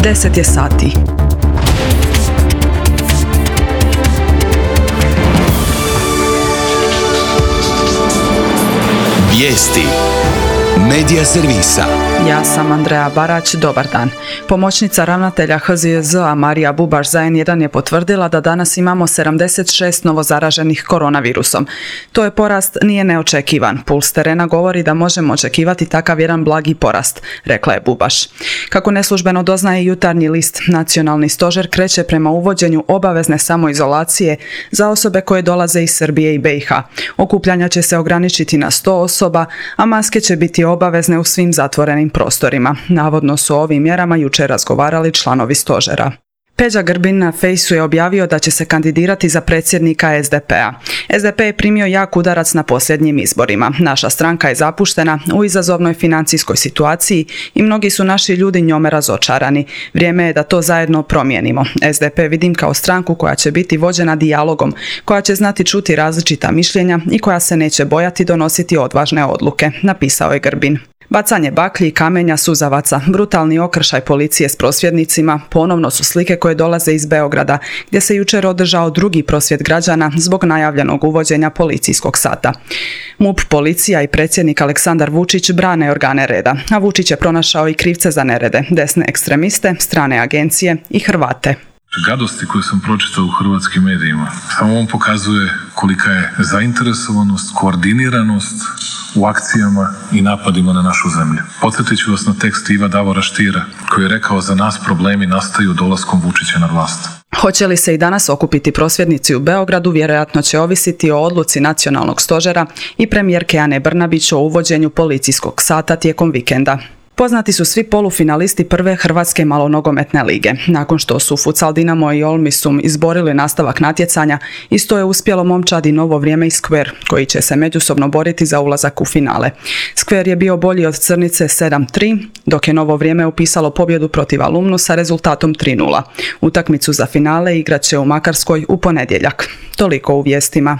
10 je sati. Vijesti Medija servisa. Ja sam Andreja Barać, dobar dan. Pomoćnica ravnatelja HZJZ-a Marija Bubaš za N1 je potvrdila da danas imamo 76 novozaraženih koronavirusom. To je porast nije neočekivan. Puls terena govori da možemo očekivati takav jedan blagi porast, rekla je Bubaš. Kako neslužbeno doznaje Jutarnji list, Nacionalni stožer kreće prema uvođenju obavezne samoizolacije za osobe koje dolaze iz Srbije i BiH. Okupljanja će se ograničiti na 100 osoba, a maske će biti obavezne u svim zatvorenim prostorima. Navodno su o ovim mjerama jučer razgovarali članovi stožera. Peđa Grbin na Fejsu je objavio da će se kandidirati za predsjednika SDP-a. SDP je primio jak udarac na posljednjim izborima. Naša stranka je zapuštena u izazovnoj financijskoj situaciji i mnogi su naši ljudi njome razočarani. Vrijeme je da to zajedno promijenimo. SDP vidim kao stranku koja će biti vođena dijalogom, koja će znati čuti različita mišljenja i koja se neće bojati donositi odvažne odluke, napisao je Grbin. Bacanje baklji i kamenja, suzavaca, brutalni okršaj policije s prosvjednicima ponovno su slike koje dolaze iz Beograda, gdje se jučer održao drugi prosvjed građana zbog najavljenog uvođenja policijskog sata. MUP, policija i predsjednik Aleksandar Vučić brane organe reda, a Vučić je pronašao i krivce za nerede, desne ekstremiste, strane agencije i Hrvate. Gadosti koje sam pročitao u hrvatskim medijima samo on pokazuje kolika je zainteresovanost, koordiniranost u akcijama i napadima na našu zemlju. Podsjetit ću vas na tekst Iva Davora Štira koji je rekao: za nas problemi nastaju dolaskom Vučića na vlast. Hoće li se i danas okupiti prosvjednici u Beogradu, vjerojatno će ovisiti o odluci Nacionalnog stožera i premijerke Ane Brnabić o uvođenju policijskog sata tijekom vikenda. Poznati su svi polufinalisti prve hrvatske malonogometne lige. Nakon što su Futsal Dinamo i Olmisum izborili nastavak natjecanja, isto je uspjelo momčadi Novo Vrijeme i Skver, koji će se međusobno boriti za ulazak u finale. Skver je bio bolji od Crnice 7-3, dok je Novo Vrijeme upisalo pobjedu protiv Alumnu sa rezultatom 3-0. Utakmicu za finale igrat će u Makarskoj u ponedjeljak. Toliko u vijestima.